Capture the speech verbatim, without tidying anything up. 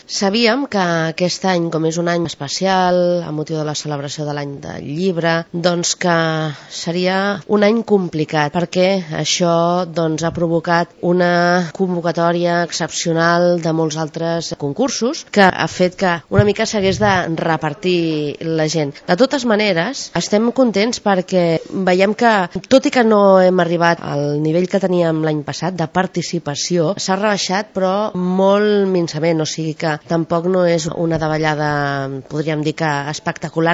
Sabíem que aquest any, com és un any especial, a motiu de la celebració de l'any del llibre, doncs que seria un any complicat, perquè això doncs, ha provocat una convocatòria excepcional de molts altres concursos, que ha fet que una mica s'hagués de repartir la gent. De totes maneres, estem contents perquè veiem que, tot i que no hem arribat al nivell que teníem l'any passat de participació, s'ha rebaixat però molt minçament, o sigui que tampoc no és una davallada, podríem dir que espectacular,